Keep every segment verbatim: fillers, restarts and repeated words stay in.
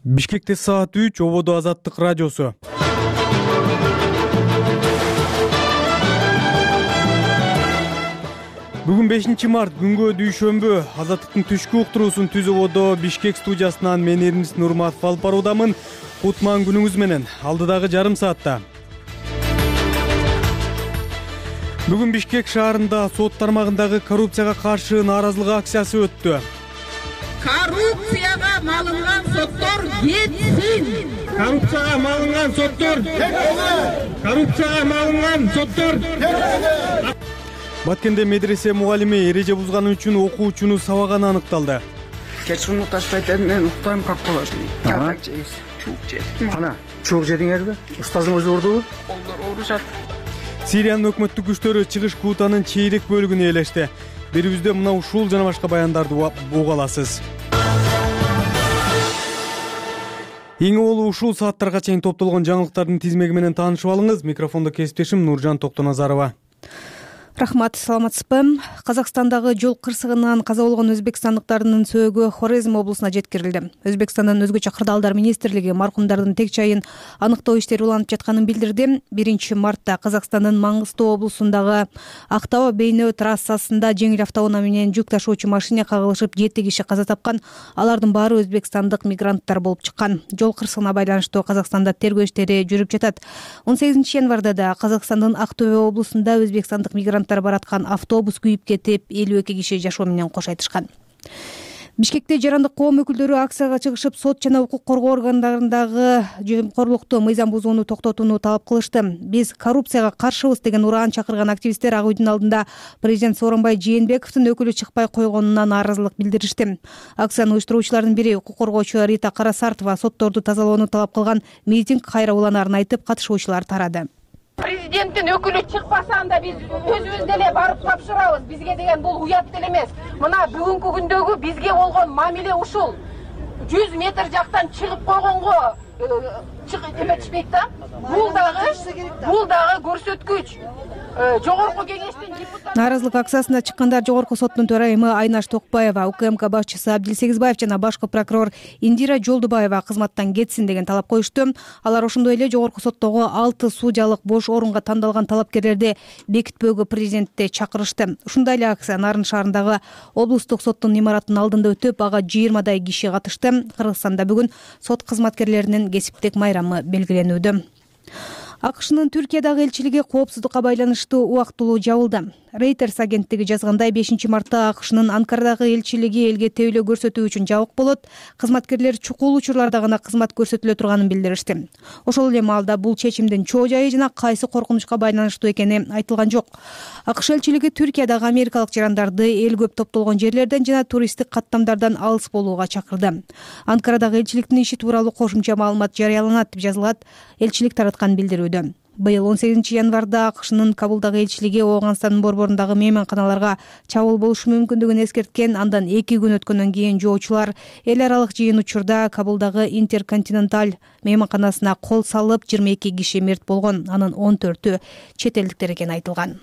Бишкекте саат үч, ободо Азаттык радиосу. Бүгүн бешинчи март, күнгө дүйшөмбү. Азаттыктын түшкү уктуруусун түз ободо Бишкек студиясынан мен Эрнис Нурматов алып баруудамын. Кутман күнүңүз менен. Алдыдагы жарым саатта. Бүгүн Бишкек шаарында сот тармагындагы коррупцияга каршы нааразылык акциясы өттү. Коррупцияга малынган соттор кетсин. Коррупцияга малынган соттор кетсин. Коррупцияга малынган соттор кетсин. Баткенде медресе мугалими эреже бузганы үчүн окуучуну сабаганы аныкталды. Кечкин укташпайт эди, мен уктайм, как болот? Так жейс, чук жейс. Кана, чук жедиңерби? Устазыңыз урдубу? Колдор урушат. Сириянын өкмөттүк күчтөрү чыгыш Кутанын чейрек бөлүгүн ээлешти. Берибизде мына ушул жана башка баяндарды уга аласыз. Эң олу ушул сааттарга чейин топтолгон жаңылыктардын тизмеги менен таанышып алыңыз. Микрофондо кесиптешим Нуржан Токтоназарова. Рахмат, саламатсызбы? Казакстандагы жол кырсыгынан каза болгон өзбекстандыктардын сөөгү Хорезм облусуна жеткирилди. Өзбекстандын өзгөчө кырдаалдар министрлиги маркумдардын тек жайын аныктоо иштери уланып жатканын билдирди. биринчи мартта Казакстандын Маңгыстоо облусундагы Актау Бейнөө трассасында жеңил автоунаа менен жүк ташуучу машина кагылышып, жети киши каза тапкан. Алардын баары өзбекстандык мигранттар болуп чыккан. Жол кырсыгына байланыштуу Казакстанда тергөө иштери жүрүп жатат. он сегизинчи январда да Казакстандын Актөбө облусунда өзбекстандык мигрант бараткан автобус күйүп кетип, элүү эки киши жашоо менен кош айтышкан. Бишкекте жарандык коом өкүлдөрү акцияга чыгышып, сот жана укук коргоо органдарындагы жемкорлукту, мыйзам бузууну токтотууну талап кылышты. Биз коррупцияга каршыбыз деген ураан чакырган активисттер Ак үйдүн алдында президент Сооронбай Жээнбековдун өкүлү чыкпай койгонуна нааразылык билдиришти. Акцияны уюштуруучулардын бири укук коргоочу Рита Карасартова сотторду тазалоону талап кылган митинг кайра уланаарын айтып, катышуучулар тарады. Президенттин өкүлү чыкпаса, анда биз өзүбүз деле барып тапшырабыз. Бизге деген бул уят деле эмес. Мына бүгүнкү күндөгү бизге болгон мамиле ушул. жүз метр жактан чыгып койгонго эметишпейт да. Бул дагы бул дагы көрсөткүч. Жогорку кеңештин депутаты. Нааразылык акциясына чыккандар Жогорку соттун төрайымы Айнаш Токпаева, УКМК башчысы Абдилсегизбаев жана башкы прокурор Индира Жолдубаева кызматтан кетсин деген талап коюшту. Алар ошондой эле Жогорку соттогу алты судьялык бош орунга тандалган талапкерлерди бекитпөөгө президентти чакырышты. Ушундай эле акция Нарын шаарындагы облустук соттун имаратынын алдында өтүп, ага жыйырмадай киши катышты. Кыргызстанда бүгүн сот кызматкерлеринин кесиптик майрамы белгиленүүдө. АКШнын Түркиядагы элчилиги коопсуздукка байланыштуу убактылуу жабылды. Reuters агенттиги жазгандай, бешинчи мартта АКШнын Анкарадагы элчилиги элге тейлөө көрсөтүү үчүн жабык болот. Кызматкерлер чукул учурларда гана кызмат көрсөтүлө турганын билдиришти. Ошол эле маалда бул чечимдин чоо жайы жана кайсы коркунучка байланыштуу экени айтылган жок. АКШ элчилиги Түркиядагы америкалык жарандарды эл көп топтолгон жерлерден жана туристтик каттамдардан алыс болууга чакырды. Анкарадагы элчиликтин иши тууралуу кошумча маалымат жарыяланат деп жазылат элчилик тараткан билдирүүдө. Быйыл он сегизинчи январда АКШнын Кабулдагы элчилиги Ооганстандын борборундагы мейманканаларга чабуул болушу мүмкүндүгүн эскерткен. Андан эки күн өткөндөн кийин жоочулар эл аралык жыйын учурда Кабулдагы Интерконтиненталь мейманканасына кол салып, жыйырма эки киши мерт болгон. Анын он төртү чет элдиктер экени айтылган.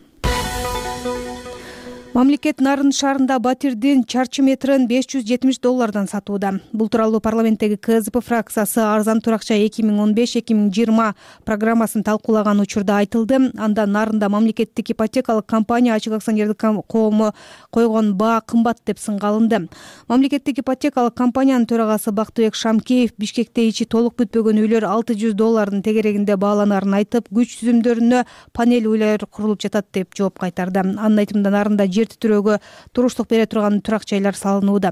Мамлекет Нарын шаарында батирдин чарчы метрин беш жүз жетимиш доллардан сатууда. Бул тууралуу парламенттеги КЗП фракциясы арзан туракча эки миң он беш эки миң жыйырма программасын талкуулаган учурда айтылды. Анда Нарында мамлекеттик ипотекалык компания ачык акционердик коому койгон баа кымбат деп сынга алынды. Мамлекеттик ипотекалык компаниянын төрагасы Бактыбек Шамкеев Бишкекте ичи толук бүтпөгөн үйлөр алты жүз доллардын тегерегинде бааланаарын айтып, күч түзүмдөрүнө панель үйлөр курулуп жатат деп жооп кайтарды. Анын айтымында Нарында жер титирөөгө туруштук бере турган турак жайлар салынууда.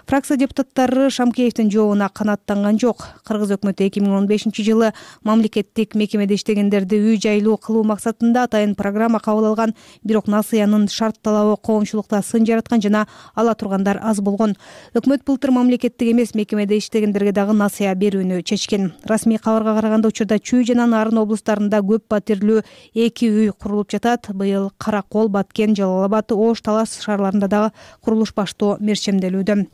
Фракция депутаттары Шамкеевдин жообуна канааттанган жок. Кыргыз өкмөтү эки миң он бешинчи жылы мамлекеттик мекемеде иштегендерди үй жайлуу кылуу максатында атайын программа кабыл алган, бирок насыянын шарт талабы коомчулукта сын жараткан жана ала тургандар аз болгон. Өкмөт былтыр мамлекеттик эмес мекемеде иштегендерге дагы насыя берүүнү чечкен. Расмий кабарга караганда учурда Чүй жана Нарын облустарында көп батирлүү эки үй курулуп жатат. Быйыл Каракол, Баткен, Жалал Абад, Ош, Талас шаарларында дагы курулуш баштоо мерчемделүүдө.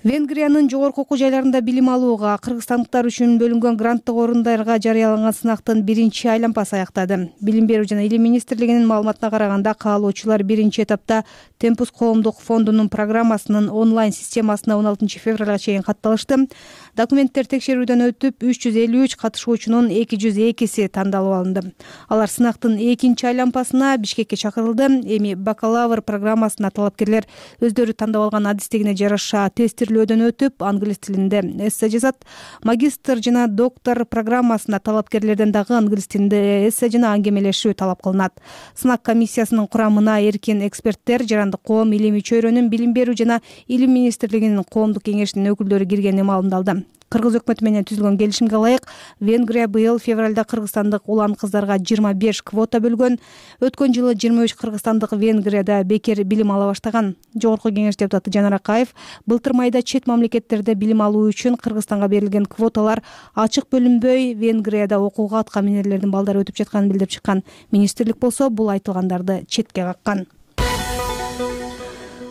Венгриянын жогорку окуу жайларында билим алууга кыргызстандыктар үчүн бөлүнгөн гранттык орундарга жарыяланган сынактын биринчи айланпасы аяктады. Билим берүү жана илим министрлигинин маалыматына караганда, каалоочулар биринчи этапта Темпус коомдук фондунун программасынын онлайн системасына он алтынчы февралга чейин катталышты. Документтер текшерүүдөн өтүп, үч жүз элүү үч катышуучунун эки жүз экиси тандалып алынды. Алар сынактын экинчи айланпасына Бишкекке чакырылды. Эми бакалавр программасына талапкерлер өздөрү тандап алган адистигине жараша тестирлөөдөн өтүп, англис тилинде эссе жазат. Магистр жана доктор программасына талапкерлерден дагы англис тилинде эссе жана аңгемелешүү талап кылынат. Сынак комиссиясынын курамына эркин эксперттер, жарандык коом, илимий чөйрөнүн, билим берүү жана илим министрлигинин коомдук кеңешинин өкүлдөрү киргени маалымдалды. Кыргыз өкмөтү менен түзүлгөн келишимге ылайык, Венгрия быйыл февралда кыргызстандык улан кыздарга жыйырма беш квота бөлгөн. Өткөн жылы жыйырма үч кыргызстандык Венгрияда бекер билим ала баштаган. Жогорку кеңеш депутаты Жанар Акаев былтыр майда чет мамлекеттерде билим алуу үчүн Кыргызстанга берилген квоталар ачык бөлүнбөй, Венгрияда окууга атка минерлердин балдары өтүп жатканын билдирип чыккан. Министрлик болсо бул айтылгандарды четке каккан.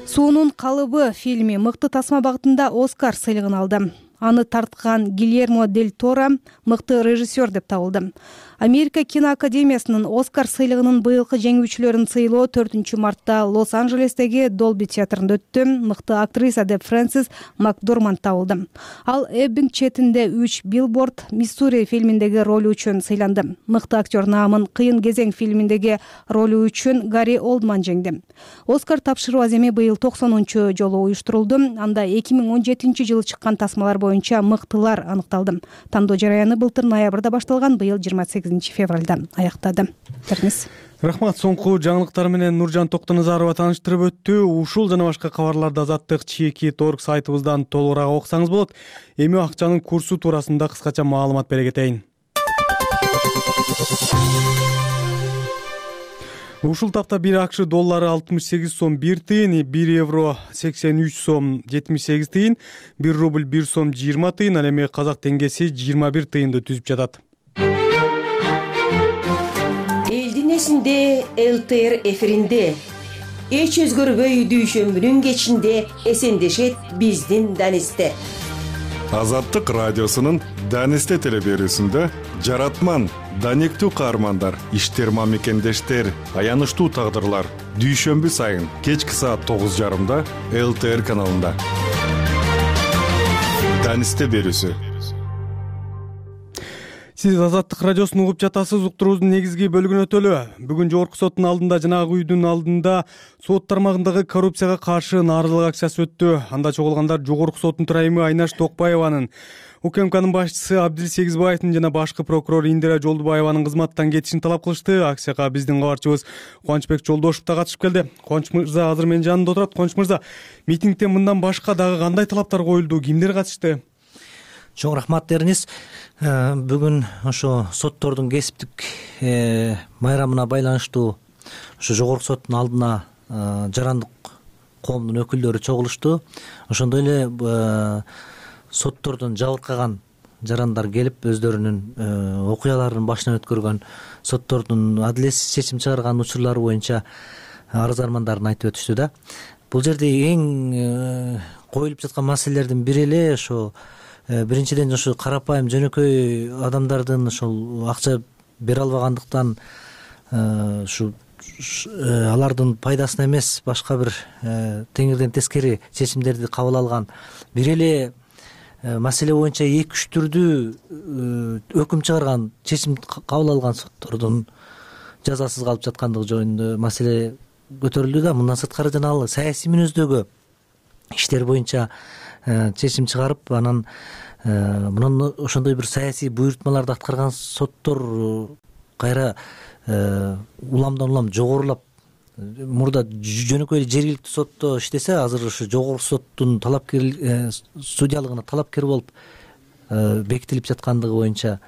Суунун калыбы фильми мыкты тасма багытында Оскар сыйлыгын алды. Аны тарткан Гильермо дель Торо мыкты режиссер деп табылды. Америка киноакадемиясынын Оскар сыйлыгынын быйылкы жеңүүчүлөрүн сыйлоо төртүнчү мартта Лос-Анджелестеги Долби театрында өттү. Мыкты актриса деп Фрэнсис Макдорманд табылды. Ал Эббинг четинде үч Билборд, Миссури фильминдеги ролу үчүн сыйланды. Мыкты актер наамын Кыйын кезең фильминдеги ролу үчүн Гарри Олдман жеңди. Оскар тапшыруу аземи быйыл токсонунчу жолу уюштурулду. Анда эки миң он жетинчи жылы чыккан тасмалар боюнча мыктылар аныкталды. Тандоо жараяны былтыр ноябрда башталган, быйыл жыйырма сегизинчи февралда аяктады. Терниз. Рахмат. Соңку жаңылыктар менен Нуржан Токтоназарова тааныштырып өттү. Ушул жана башка кабарларды Азаттык чеки торг сайтыбыздан толугураак окусаңыз болот. Эми акчанын курсу туурасында кыскача маалымат бере кетейин. Ушул тапта бир АКШ доллары алтымыш сегиз сом бир тыйын, бир евро сексен үч сом жетимиш сегиз тыйын, бир рубль бир сом жыйырма тыйын, ал эми казак теңгеси жыйырма бир тыйынды түзүп жатат. Элдин эсинде ЛТР эфиринде эч өзгөрбөй дүйшөмбүнүн кечинде эсендешет биздин Данисте. Азаттык радиосунун Данисте телеберүүсүндө жаратман, даниктүү каармандар, иштерма мекендештер, аянычтуу тагдырлар дүйшөмбү сайын кечки саат тогуз жарымда ЛТР каналында. Данисте берүүсү. Сиз Азаттык радиосун угуп жатасыз. Уктуруубуздун негизги бөлүгүнө өтөлү. Бүгүн жогорку соттун алдында, жанагы үйдүн алдында сот тармагындагы коррупцияга каршы нааразылык акциясы өттү. Анда чогулгандар жогорку соттун төрайымы Айнаш Токпаеванын, УКМКнын башчысы Абдил Сегизбаевдин жана башкы прокурор Индира Жолдубаеванын кызматтан кетишин талап кылышты. Акцияга биздин кабарчыбыз Кубанычбек Жолдошев да катышып келди. Кубаныч мырза азыр менин жанымда отурат. Кубаныч мырза, митингде мындан башка дагы кандай талаптар коюлду? Кимдер катышты? Чоң рахмат дериңиз. Бүгүн ошо соттордун кесиптик майрамына байланыштуу ошо жогорку соттун алдына жарандык коомдун өкүлдөрү чогулушту. Ошондой эле соттордон жабыркаган жарандар келип, өздөрүнүн окуяларын башынан өткөргөн, соттордун адилетсиз чечим чыгарган учурлары боюнча арыз армандарын айтып өтүштү да. Бул жерде эң коюлуп жаткан маселелердин бири эле ошо биринчиден ошо карапайым жөнөкөй адамдардын ошол акча бере албагандыктан ушу алардын пайдасына эмес, башка бир теңирден тескери чечимдерди кабыл алган бир эле маселе боюнча эки үч түрдүү өкүм чыгарган, чечим кабыл алган соттордун жазасыз калып жаткандыгы жөнүндө маселе көтөрүлдү да. Мындан сырткары жана ал саясий мүнөздөгү иштер боюнча чечим чыгарып, анан мунун ошондой бир саясий буйрутмаларды аткарган соттор кайра уламдан улам жогорулап, мурда жөнөкөй жергиликтүү сотто иштесе, азыр ошо жогорку соттун талапкер судьялыгына талапкер болуп бекитилип жаткандыгы боюнча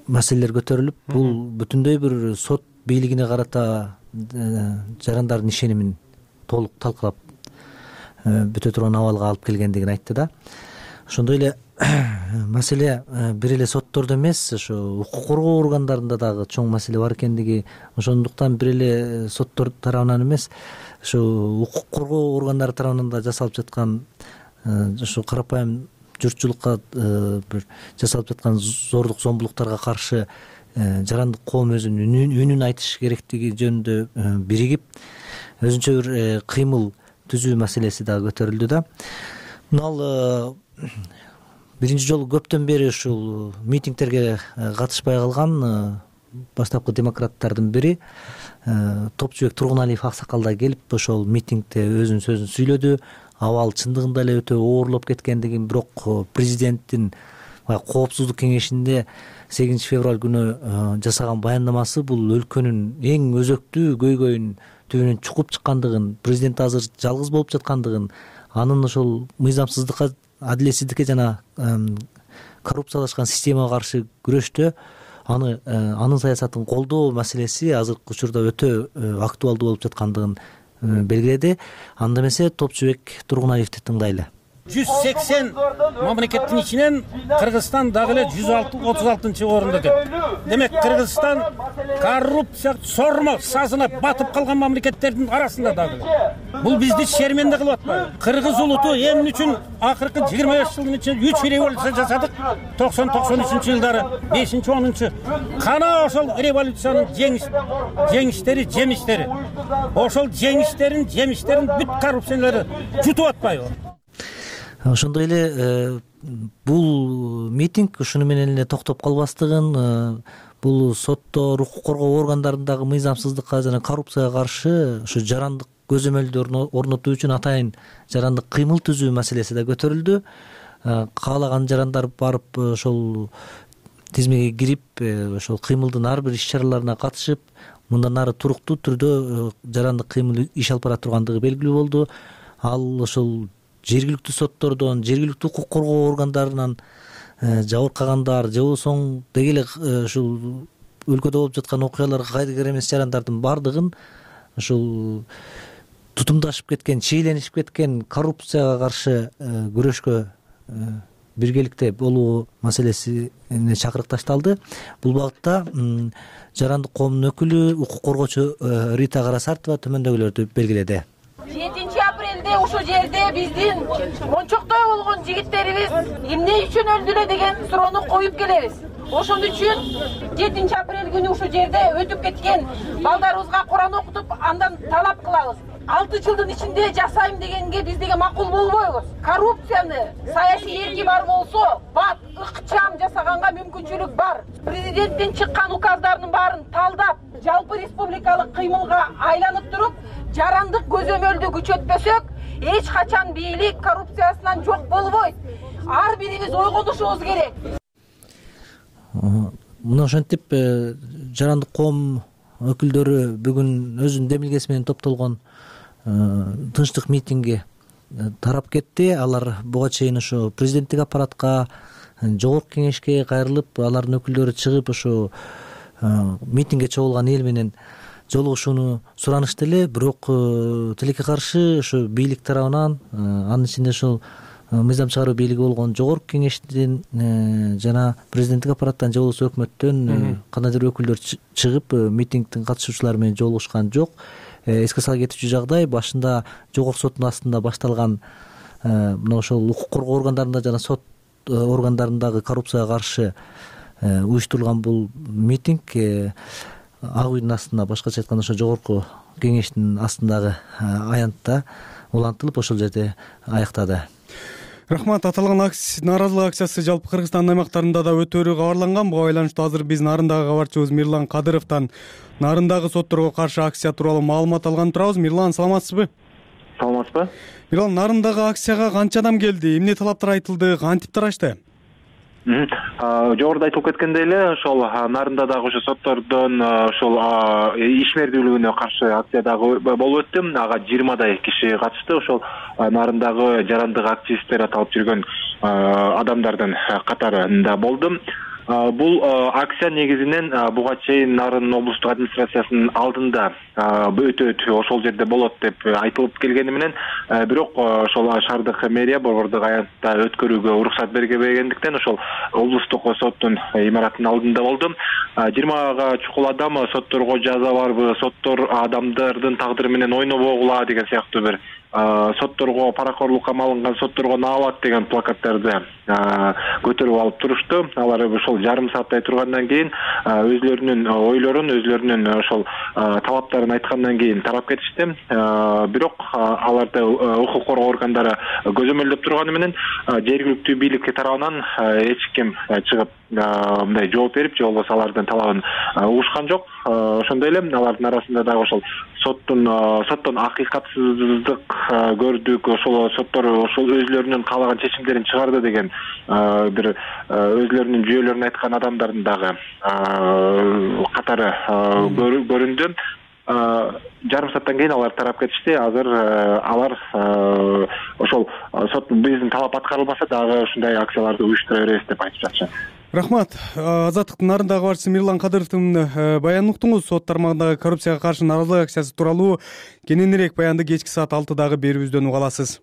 маселелер көтөрүлүп, бул бүтүндөй бир сот бийлигине карата жарандардын ишенимин толук талкалап бүтө турган абалга алып келгендигин айтты да. Ошондой эле маселе бир эле соттордо эмес, ошо укук коргоо органдарында дагы чоң маселе бар экендиги, ошондуктан бир эле соттор тарабынан эмес, ошо укук коргоо органдары тарабынан да жасалып жаткан ушу карапайым журтчулукка бир жасалып жаткан зордук зомбулуктарга каршы жарандык коом өзүнүн үнүн айтыш керектиги жөнүндө биригип өзүнчө бир кыймыл түзүү маселеси дагы көтөрүлдү да. Мына ал биринчи жолу көптөн бери ушул митингтерге катышпай калган баштапкы демократтардын бири Топчубек Тургуналиев аксакал да келип ошол митингде өзүнүн сөзүн сүйлөдү. Абал чындыгында эле өтө оорлоп кеткендигин, бирок президенттин коопсуздук кеңешинде сегизинчи февраль күнү жасаган баяндамасы бул өлкөнүн эң өзөктүү көйгөйүн түбүнөн чукуп чыккандыгын, президент азыр жалгыз болуп жаткандыгын, анын ошол мыйзамсыздыкка, адилетсиздикке жана коррупциялашкан системага каршы күрөштө аны анын саясатын колдоо маселеси азыркы учурда өтө актуалдуу болуп жаткандыгын белгиледи. Анда эмесе Топчубек Тургуналиевди тыңдайлы. жүз сексен мамлекеттин ичинен Кыргызстан дагы эле жүз отуз алтынчы орунда деп. Демек Кыргызстан коррупция сормо сазына батып калган мамлекеттердин арасында дагы. Бул бизди шерменде кылып атпайбы? Кыргыз улуту эмне үчүн акыркы жыйырма беш жылдын ичинде үч революция жасадык? токсон токсон үчүнчү жылдары, бешинчи онунчу. Кана ошол революциянын жеңиш жеңиштери, жемиштери. Ошол жеңиштерин, жемиштерин бүт коррупциялары жутуп атпайбы? Ошондой эле бул митинг ушуну менен эле токтоп калбастыгын, бул соттор, укук коргоо органдарындагы мыйзамсыздыкка жана коррупцияга каршы ушу жарандык көзөмөлдү орнотуу үчүн атайын жарандык кыймыл түзүү маселеси да көтөрүлдү. Каалаган жарандар барып ошол тизмеге кирип, ошол кыймылдын ар бир иш чараларына катышып, мындан ары туруктуу түрдө жарандык кыймыл иш алып бара тургандыгы белгилүү болду. Ал ошол жергиликтүү соттордон, жергиликтүү укук коргоо органдарынан жабыркагандар же болбосо деги эле ушул өлкөдө болуп жаткан окуяларга кайдыгер эмес жарандардын баардыгын ушул тутумдашып кеткен, чийленишип кеткен коррупцияга каршы күрөшкө биргеликте болуу маселесине чакырыкташталды. Бул багытта жарандык коомдун өкүлү, укук коргоочу Рита Карасартова төмөндөгүлөрдү белгиледи. жетинчи апрелде ушул жерде биздин мончоктой болгон жигиттерибиз эмне үчүн өлдүлө деген суроону коюп келебиз. Ошон үчүн жетинчи апрель күнү ушул жерде өтүп кеткен балдарыбызга Куран окутуп, андан талап кылабыз. алты жылдын ичинде жасайм дегенге биздиге макул болбойбуз. Коррупцияны саясий эрки бар болсо, бат, ыкчам жасаганга мүмкүнчүлүк бар. Президенттин чыккан указдарынын баарын талдап, жалпы республикалык кыймылга айланып туруп, жарандык көзөмөлдү күчөтпөсөк, эч качан бийлик коррупциясынан жок болбойт. Ар бирибиз ойгонушубуз керек. Мына ошентип жарандык коом өкүлдөрү бүгүн өзүнүн демилгеси менен топтолгон тынчтык митингге тарап кетти. Алар буга чейин ошо президенттик аппаратка, жогорку кеңешке кайрылып, алардын өкүлдөрү чыгып ошо митингге чогулган эл менен жолугушууну суранышты эле, бирок тилекке каршы ошо бийлик тарабынан, анын ичинде ошол мыйзам чыгаруу бийлиги болгон жогорку кеңештен жана президенттик аппараттан же болбосо өкмөттөн кандайдыр өкүлдөр чыгып митингдин катышуучулары менен жолугушкан жок. Эске сала кетүүчү жагдай, башында жогорку соттун астында башталган мына ошол укук коргоо органдарында жана сот органдарындагы коррупцияга каршы уюштурулган бул митинг ак үйдүн астында, башкача айтканда ошо жогорку кеңештин астындагы аянтта улантылып ошол жерде аяктады. Рахмат. Аталган нааразылык акциясы жалпы Кыргызстандын аймактарында да өтөөрү кабарланган. Буга байланыштуу азыр биз Нарындагы кабарчыбыз Мирлан Кадыровдон Нарындагы сотторго каршы акция тууралуу маалымат алган турабыз. Мирлан, саламатсызбы? Саламатсызбы? Мирлан, Нарындагы акцияга канча адам келди? Эмне талаптар айтылды? Кантип тарашты? Жогоруда айтылып кеткендей эле, ошол Нарында дагы ошо соттордон ошол ишмердүүлүгүнө каршы акция дагы болуп өттү. Ага жыйырмадай киши катышты. Ошол Нарындагы жарандык активисттер аталып жүргөн адамдардын катарында болду. Бул акция негизинен буга чейин Нарын облустук администрациясынын алдында өтөт, ошол жерде болот деп айтылып келгени менен, бирок ошол шаардык мэрия борбордук аянтта өткөрүүгө уруксат бергендиктен ошол облустук соттун имаратынын алдында болду. жыйырмага чукул адам сотторго жаза барбы, соттор адамдардын тагдыры менен ойнобогула деген сыяктуу бир сотторго паракорлукка малынган сотторго наалат деген плакаттарды көтөрүп алып турушту. Алар ошол жарым сааттай тургандан кийин өзлөрүнүн ойлорун, өзлөрүнүн ошол талаптарын айткандан кийин тарап кетишти. Бирок аларды укук коргоо органдары көзөмөлдөп турганы менен жергиликтүү бийлик тарабынан эч ким чыгып мындай жооп берип, же болбосо алардын талабын угушкан жок. Ошондой эле алардын арасында дагы ошол соттун соттон акыйкатсыздык көрдүк, ошол соттор ошол өзлөрүнүн каалаган чечимдерин чыгарды деген бир өзлөрүнүн жүйөлөрүн айткан адамдардын дагы катары көрүндү. Жарым сааттан кийин алар тарап кетишти. Азыр алар ошол сот биздин талап аткарылбаса дагы ушундай акцияларды уюштура беребиз деп айтып жатышат. Рахмат. Азаттыктын нарындагы башчысы Мирлан Кадыровдун баянын уктуңуз. Сот тармагындагы коррупцияга каршы нааразылык акциясы тууралуу кененирээк баянды кечки саат алтыдагы берүүбүздөн уга аласыз.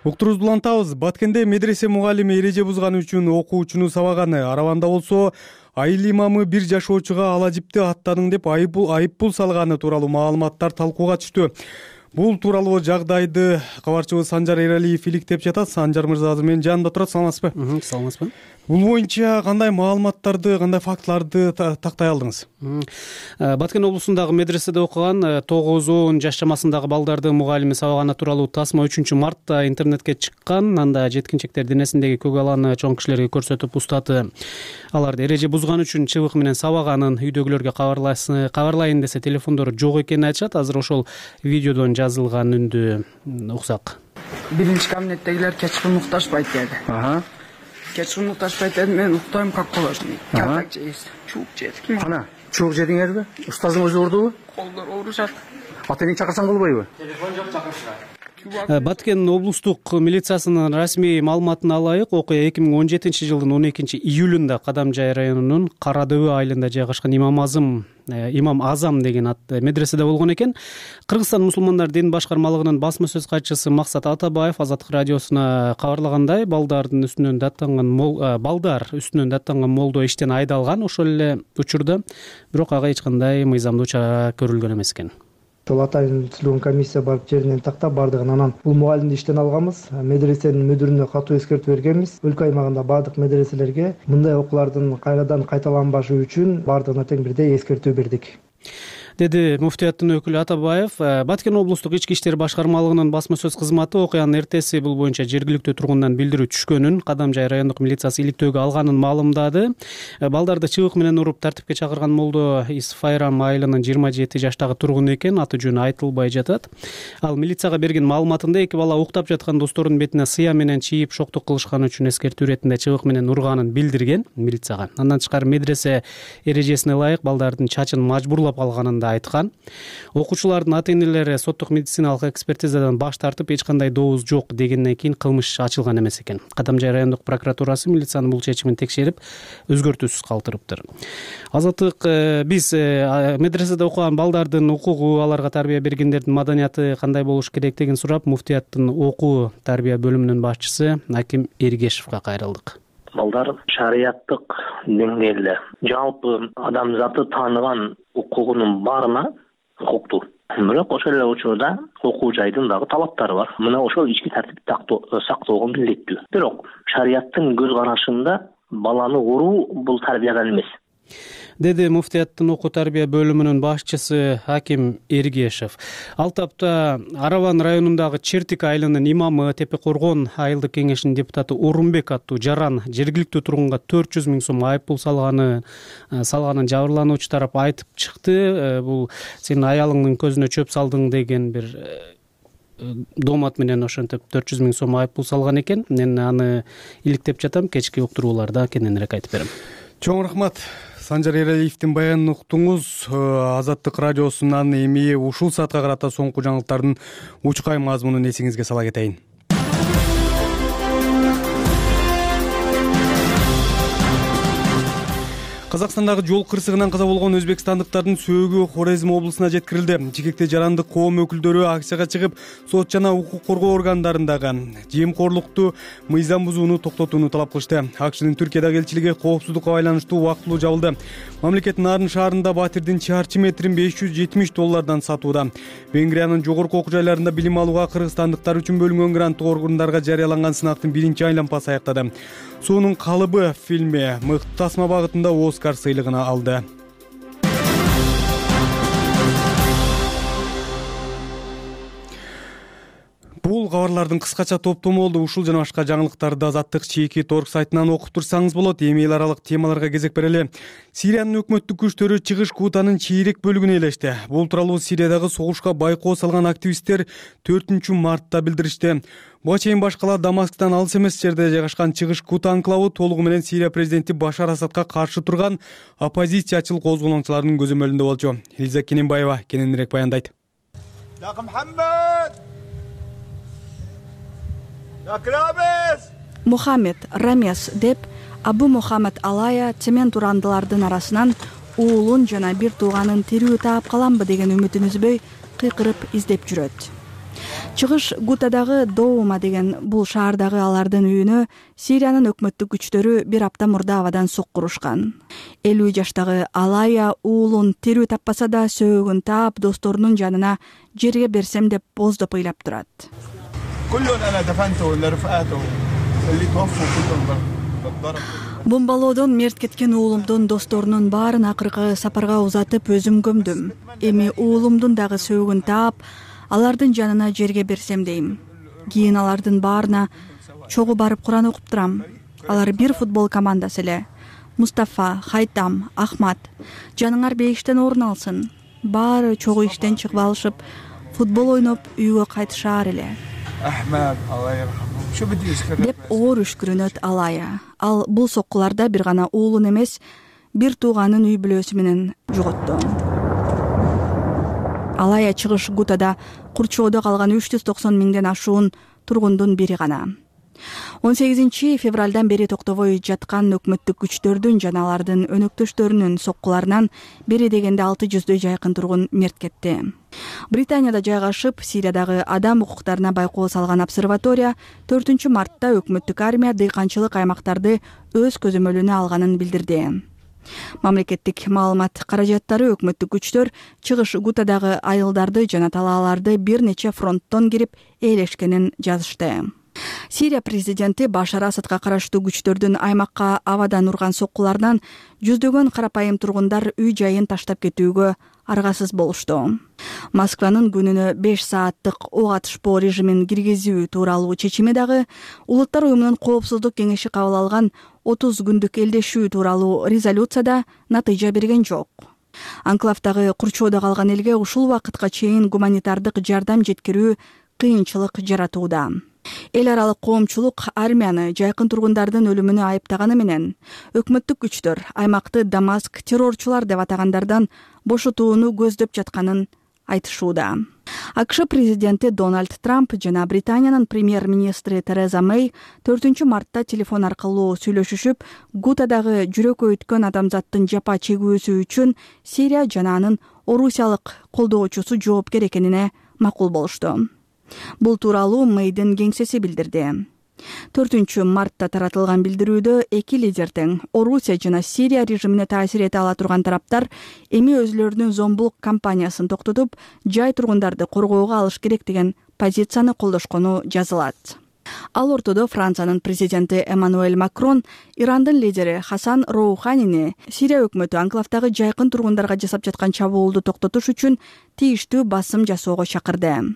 Уктуруубузду улантабыз. Баткенде медресе мугалими эреже бузганы үчүн окуучуну сабаганы, Араванда болсо айыл имамы бир жашоочуга ала жипти аттадың деп айыппул салганы тууралуу маалыматтар талкууга түштү. Бул тууралуу жагдайды кабарчыбыз Санжар Эралиев иликтеп жатат. Санжар мырза азыр менин жанымда турат. Саламатсызбы? Саламатсызбы. Бул боюнча кандай маалыматтарды, кандай фактыларды тактай алдыңыз? Баткен облусундагы медреседе окуган тогуз он жаш чамасындагы балдарды мугалими сабаганы тууралуу тасма үчүнчү мартта интернетке чыккан. Анда жеткинчектер денесиндеги көк аланы чоң кишилерге көрсөтүп устаты. Аларды эреже бузган үчүн чыбык менен сабаганын, үйдөгүлөргө кабарлайын десе телефондору жок экенин айтышат. Азыр ошол видеодон жазылган үндү уксак. Биринчи кабинеттегилер кечкурун укташпайт деди. Кечкурун укташпайт деди, мен уктайм как положено. Картак жейсиз. Чуук жедик. Кана, чуук жедиңерби? Устаздың өзү урдубу? Колдор оорушат. Ата эне чакырсаң болбойбу? Телефон жок, чакырышат. Баткен облустук милициясынын расмий маалыматына ылайык, окуя эки миң он жетинчи жылдын он экинчи июлунда Кадамжай районунун Кара Дөбө айылында жайгашкан Имам Азам Имам Азам деген ат медреседе болгон экен. Кыргызстан мусулмандар дин башкармалыгынын басма сөз катчысы Максат Атабаев Азаттык радиосуна кабарлагандай, балдардын үстүнөн даттанган балдар үстүнөн даттанган молдо иштен айдалган ошол эле учурда, бирок ага эч кандай мыйзамдуу чара көрүлгөн эмес экен. Ошол атайын түзүлгөн комиссия барып жеринен тактап бардыгын, анан бул мугалимди иштен алганбыз. Медресенин мүдүрүнө катуу эскертүү бергенбиз. Өлкө аймагында бардык медреселерге мындай окуулардын кайрадан кайталанбашы үчүн бардыгына тең бирдей эскертүү бердик, деди муфтияттын өкүлү Атабаев. Баткен облустук ички иштер башкармалыгынын басма сөз кызматы окуянын эртеси бул боюнча жергиликтүү тургундан билдирүү түшкөнүн, Кадамжай райондук милициясы иликтөөгө алганын маалымдады. Балдарды чыбык менен уруп тартипке чакырган молдо Исфайрам айылынын жыйырма жети жаштагы тургуну экен, аты жөнү айтылбай жатат. Ал милицияга берген маалыматында эки бала уктап жаткан досторунун бетине сыя менен чийип шоктук кылышканы үчүн эскертүү иретинде чыбык менен урганын билдирген милицияга. Андан тышкары медресе эрежесине ылайык балдардын чачын мажбурлап алганын айткан. Окуучулардын ата-энелери соттук медициналык экспертизадан баш тартып, эч кандай добуз жок дегенден кийин кылмыш ачылган эмес экен. Кадамжай райондук прокуратурасы милициянын бул чечимин текшерип, өзгөртүүсүз калтырыптыр. Азаттык, биз медреседе окуган балдардын укугу, аларга тарбия бергендердин маданияты кандай болуш керектигин сурап, муфтияттын окуу тарбия бөлүмүнүн башчысы Аким Эргешевге кайрылдык. Балдар шарияттык деңгээлде жалпы адамзаты тааныган укугунун баарына укуктуу. Бирок ошол эле учурда окуу жайдын дагы талаптары бар. Мына ошол ички тартипти сактоого милдеттүү. Бирок шарияттын көз карашында баланы уруу бул тарбиядан эмес, деди муфтияттын окуу тарбия бөлүмүнүн башчысы Аким Эргешев. Ал тапта Араван районундагы Чертик айылынын имамы, Тепе Коргон айылдык кеңешинин депутаты Орунбек аттуу Жаран жергиликтүү тургунга төрт жүз миң сом айыппул салганы салганын жабырлануучу тарап айтып чыкты. Бул сенин аялыңдын көзүнө чөп салдың деген бир домат менен ошентип төрт жүз миң сом айыппул салган экен. Мен аны иликтеп жатам, кечки уктурууларда кененирээк айтып берем. Чоң рахмат. Санжар Эралиевдин баянын уктуңуз. Азаттык радиосунан эми ушул саатка карата соңку жаңылыктардын учкай мазмунун эсиңизге сала кетейин. Казакстандагы жол кырсыгынан каза болгон өзбекстандыктардын сөөгү Хорезм облусуна жеткирилди. Жигекте жарандык коом өкүлдөрү акцияга чыгып, сот жана укук коргоо органдарындагы жемкорлукту, мыйзам бузууну токтотууну талап кылышты. АКШнын Түркиядагы элчилиги коопсуздукка байланыштуу убактылуу жабылды. Мамлекет Нарын шаарында батирдин чарчы метрин беш жүз жетимиш доллардан сатууда. Венгриянын жогорку окуу жайларында билим алууга кыргызстандыктар үчүн бөлүнгөн гранттык оргундарга жарыяланган сынактын биринчи айлампасы аяктады. Суунун калыбы фильми мыкты тасма багытында Оскар сыйлыгын алды. Бул кабарлардын кыскача топтому болду. Ушул жана башка жаңылыктарды Азаттык чеки торг сайтынан окуп турсаңыз болот. Эми эл аралык темаларга кезек берели. Сириянын өкмөттүк күчтөрү чыгыш Гутанын чейрек бөлүгүнө ээлешти. Бул тууралуу Сириядагы согушка байкоо салган активисттер төртүнчү мартта билдиришти. Буга чейин башкалар Дамасктан алыс эмес жерде жайгашкан чыгыш Гута анклавы толугу менен Сирия президенти Башар Асадка каршы турган оппозициячыл козголоңчулардын көзөмөлүндө болчу. Элиза Кененбаева кененирээк баяндайт. Мухаммед Рамес деп Абу Мухаммед Алая цемент урандылардын арасынан уулун жана бир тууганын тирүү таап каламбы деген үмүтүн үзбөй кыйкырып издеп жүрөт. Чыгыш Гутадагы Доума деген бул шаардагы алардын үйүнө Сириянын өкмөттүк күчтөрү бир апта мурда абадан соккурушкан. элүү жаштагы Алая уулун тирүү таппаса да сөөгүн таап досторунун жанына жерге берсем деп боздоп ыйлап турат. Бомбалоодон мерт кеткен уулумдун досторунун баарын акыркы сапарга узатып өзүм көмдүм. Эми уулумдун дагы сөөгүн таап, алардын жанына жерге берсем дейм. Кийин алардын баарына чогуу барып Куран окуп турам. Алар бир футбол командасы эле. Мустафа, Хайтам, Ахмат, жаныңар бейиштен орун алсын. Баары чогуу иштен чыгып алышып, футбол ойноп үйгө кайтышаар эле. Деп оор үшкүрүнөт Алая. Ал бул соккуларда бир гана уулун эмес, бир тууганын үй бүлөсү менен жоготту. Алая чыгыш Гутада курчоодо калган үч жүз токсон миңден ашуун тургундун бири гана. он сегизинчи февралдан бери токтобой жаткан өкмөттүк күчтөрдүн жана алардын өнөктөштөрүнүн соккуларынан бери дегенде алты жүздөй жайкын тургун мерт кетти. Британияда жайгашып, Сириядагы адам укуктарына байкоо салган обсерватория төртүнчү мартта өкмөттүк армия дыйканчылык аймактарды өз көзөмөлүнө алганын билдирди. Мамлекеттик маалымат каражаттары өкмөттүк күчтөр чыгыш Гутадагы айылдарды жана талааларды бир нече фронттон кирип ээлешкенин жазышты. Сирия президенти Башар Асадка караштуу күчтөрдүн аймакка абадан урган соккуларынан жүздөгөн карапайым тургундар үй жайын таштап кетүүгө аргасыз болушту. Москванын күнүнө беш сааттык ок атышпоо режимин киргизүү тууралуу чечими дагы Улуттар уюмунун коопсуздук кеңеши кабыл алган отуз күндүк элдешүү тууралуу резолюцияда натыйжа берген жок. Анклавдагы курчоодо калган элге ушул убакытка чейин гуманитардык жардам жеткирүү кыйынчылык жаратууда. Эл аралык коомчулук армияны жайкын тургундардын өлүмүнө айыптаганы менен өкмөттүк күчтөр аймакты Дамаск террорчулар деп атагандардан бошотууну көздөп жатканын айтышууда. АКШ президенти Дональд Трамп жана Британиянын премьер-министри Тереза Мэй төртүнчү мартта телефон аркылуу сүйлөшүшүп, Гутадагы жүрөккө өткөн адамзаттын жапа чегүүсү үчүн Сирия жана анын орусиялык колдоочусу жоопкер экенине макул болушту. Бул тууралуу Мэйдин кеңсеси билдирди. төртүнчү мартта таратылган билдирүүдө эки лидер тең Орусия жана Сирия режимине таасир эте ала турган тараптар эми өзүлөрүнүн зомбулук кампаниясын токтотуп, жай тургундарды коргоого алыш керек деген позицияны колдошкону жазылат. Ал ортодо Франциянын президенти Эммануэль Макрон Ирандын лидери Хасан Роуханини Сирия өкмөтү анклавдагы жайкын тургундарга жасап жаткан чабуулду токтотуш үчүн тийиштүү басым жасоого чакырды.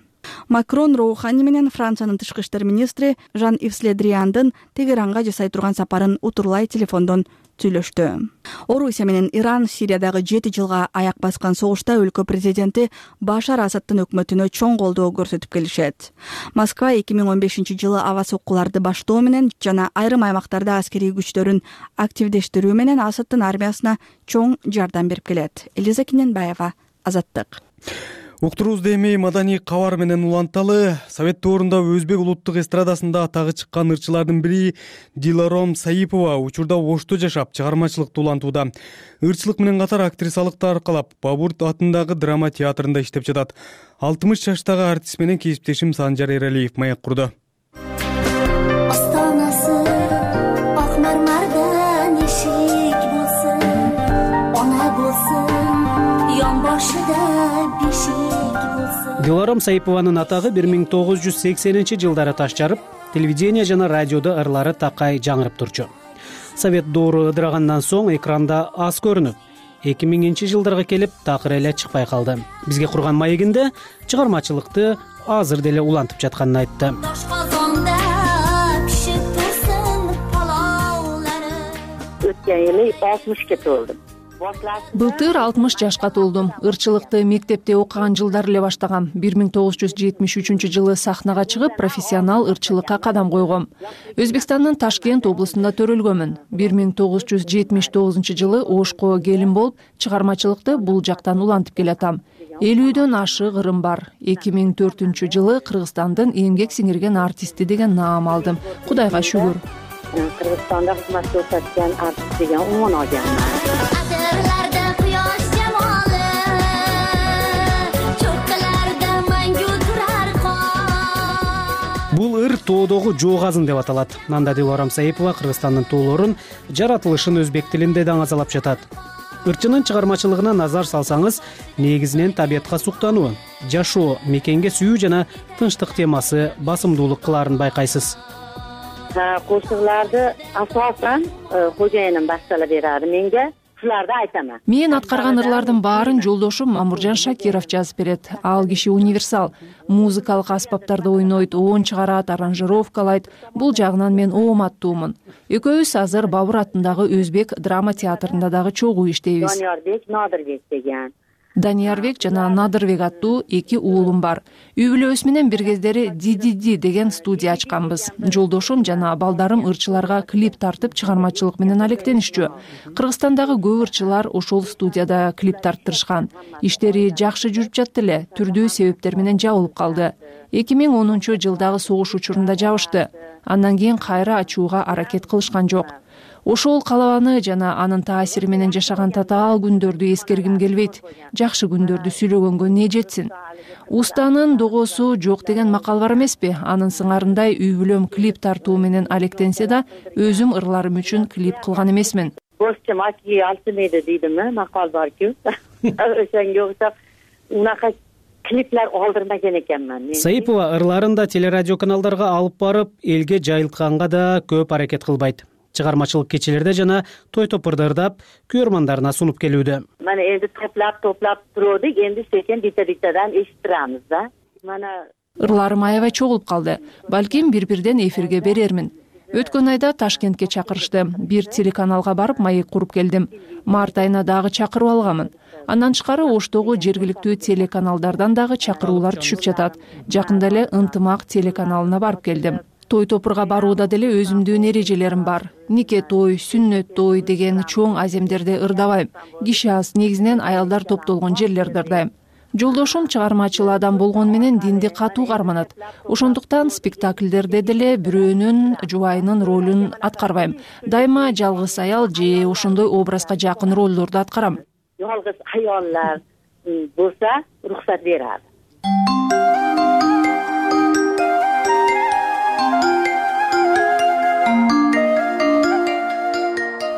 Макрон Роухани менен Франциянын тышкы иштер министри Жан-Ивс Ле Дрияндын Тегеранга жасай турган сапарын утурлай телефондон сүйлөштү. Орусия менен Иран Сириядагы жети жылга аяк баскан согушта өлкө президенти Башар Асадтын өкмөтүнө чоң колдоо көрсөтүп келишет. Москва эки миң он бешинчи жылы аба соккуларды баштоо менен жана айрым аймактарда аскерий күчтөрүн активдештирүү менен Асадтын армиясына чоң жардам берип келет. Элиза Кененбаева, Азаттык. Уктуруубузду эми маданий кабар менен уланталы. Совет доорунда өзбек улуттук эстрадасында атагы чыккан ырчылардын бири Диларом Саипова учурда Ошто жашап, чыгармачылыкты улантууда. Ырчылык менен катар актрисалыкты аркалап, Бабурт атындагы драма театрында иштеп жатат. алтымыш жаштагы артист менен кесиптешим Санжар Эралиев маек курду. Диларом Саипованын атагы бир миң тогуз жүз сексенинчи жылдары таш жарып, телевидение жана радиодо ырлары такай жаңырып турчу. Совет доору ыдырагандан соң экранда аз көрүнүп, эки миңинчи жылдарга келип такыр эле чыкпай калды. Бизге курган маегинде чыгармачылыкты азыр деле улантып жатканын айтты. Өткөн эли алтымышка толдум. Былтыр алтымыш жашка толдум. Ырчылыкты мектепте окуган жылдары эле баштагам. бир миң тогуз жүз жетимиш үчүнчү жылы сахнага чыгып, профессионал ырчылыкка кадам койгом. Өзбекстандын Ташкент облусунда төрөлгөмүн. бир миң тогуз жүз жетимиш тогузунчу жылы Ошко келин болуп, чыгармачылыкты бул жактан улантып келатам. элүүдөн ашык ырым бар. эки миң төртүнчү жылы Кыргызстандын эмгек сиңирген артисти деген наам алдым. Кудайга шүгүр. Кыргызстанда кызмат көрсөткөн артист деген унван алганмын. Бул ыр тоодогу жоо казын деп аталат. Анда Диларом Саипова Кыргызстандын тоолорун, жаратылышын өзбек тилинде даңазалап жатат. Ырчынын чыгармачылыгына назар салсаңыз, негизинен табиятка суктануу, жашоо, мекенге сүйүү жана тынчтык темасы басымдуулук кылаарын байкайсыз. Кошуктарды асаасан кожоюнум баштала берadi менге. Шуларды айтамын. Мен аткарган ырлардын баарын жолдошум Мамуржан Шакиров жазып берет. Ал киши универсал. Музыкалык аспаптарды ойнойт, оон чыгарат, аранжировкалайт. Бул жагынан мен ооматтуумун. Экөөбүз азыр Бабур атындагы Өзбек драма театрында дагы чогуу иштейбиз. Даниярбек, Надырбек деген. Даниярбек жана Надырбек аттуу эки уулум бар. Үй бүлөбүз менен бир кездери Ди-Ди-Ди деген студия ачканбыз. Жолдошум жана балдарым ырчыларга клип тартып чыгармачылык менен алектенишчү. Кыргызстандагы көп ырчылар ошол студияда клип тарттырышкан. Иштери жакшы жүрүп жатты эле, түрдүү себептер менен жабылып калды. эки миң онунчу жылдагы согуш учурунда жабышты. Андан кийин кайра ачууга аракет кылышкан жок. Ошол калабаны жана анын таасири менен жашаган татаал күндөрдү эскергим келбейт. Жакшы күндөрдү сүйлөгөнгө не жетсин. Устанын догосу жок деген макал бар эмеспи? Анын сыңарындай үй бүлөм клип тартуу менен алектенсе да, өзүм ырларым үчүн клип кылган эмесмин. Босчум аки алтымейди дейдими? Макал бар-ку. Ошонго окшоп унака клиплер алдырмаган экенмин. Саипова ырларын да телерадио каналдарга алып барып, элге жайылтканга да көп аракет кылбайт. Чыгармачылык кечелерде жана той топурда ырдап, көрөрмандарына сунуп келүүдө. Мана энди топлап топлап турдук, энди секен бита-битадан эшиттирабыз да. Мана ырларым аябай чогулуп калды. Балким бир-бирден эфирге берермин. Өткөн айда Ташкентке чакырышты. Бир телеканалга барып маек куруп келдим. Март айына дагы чакырып алганмын. Андан тышкары Оштогу жергиликтүү телеканалдардан дагы чакыруулар түшүп жатат. Жакында эле Ынтымак телеканалына барып келдим. Той топурга барууда деле өзүмдүн эрежелерим бар. Нике той, сүннөт той деген чоң аземдерде ырдабайм. Киши аз, негизинен аялдар топтолгон жерлерде ырдайм. Жолдошум чыгармачыл адам болгон менен динди катуу карманат. Ошондуктан спектакльдерде деле бирөөнүн жубайынын ролун аткарбайм. Дайыма жалгыз аял же ошондой образга жакын ролдорду аткарам. Жалгыз аялдар болса, уруксат берат.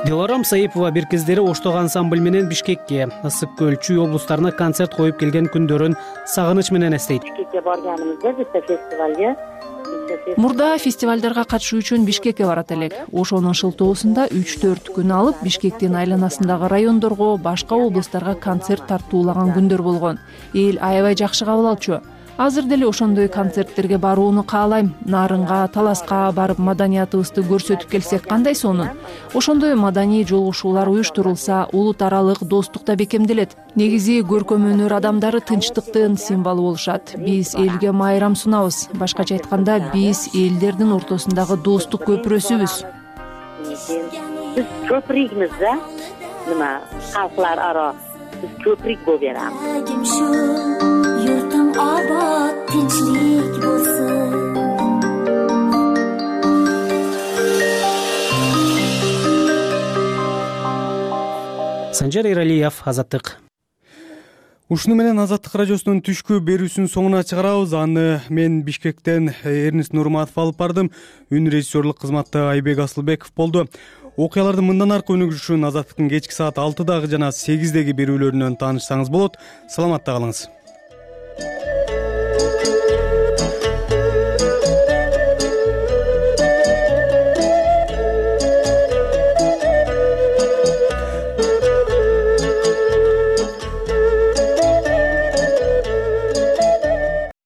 Диларом Саипова бир кездери Оштогу ансамбль менен Бишкекке, Ысык көл, Чүй облустарына концерт коюп келген күндөрүн сагыныч менен эстейт. Бишкекке барганыбызда бизде фестивалга Мурда фестивалдарга катышуу үчүн Бишкекке барат элек. Ошонун шылтоосунда үч төрт күн алып, Бишкектин айланасындагы райондорго, башка облустарга концерт тартуулаган күндөр болгон. Эл аябай жакшы кабыл алчу. Азыр деле ошондой концерттерге барууну каалайм. Нарынга, Таласка барып маданиятыбызды көрсөтүп келсек кандай сонун. Ошондой маданий жолугушуулар уюштурулса, улут аралык достук да бекемделет. Негизи көркөм өнөр адамдары тынчтыктын символу болушат. Биз элге майрам сунабыз. Башкача айтканда, биз элдердин ортосундагы достук көпүрөсүбүз. Биз көпүрөгбүз да. Нема, калклар ара биз көпүрөк болуп беребиз. Санжар Эралиев, Азаттык. Ушуну менен Азаттык радиосунун түшкү берүүсүнүн соңуна чыгарабыз. Аны мен Бишкектен Эрнис Нурматов алып бардым. Үн режиссерлук кызматта Айбек Асылбеков болду. Окуялардын мындан аркы өнүгүшүн Азаттыктын кечки саат алтыдагы жана сегиздеги берүүлөрүнөн таанышсаңыз болот. Саламатта калыңыз.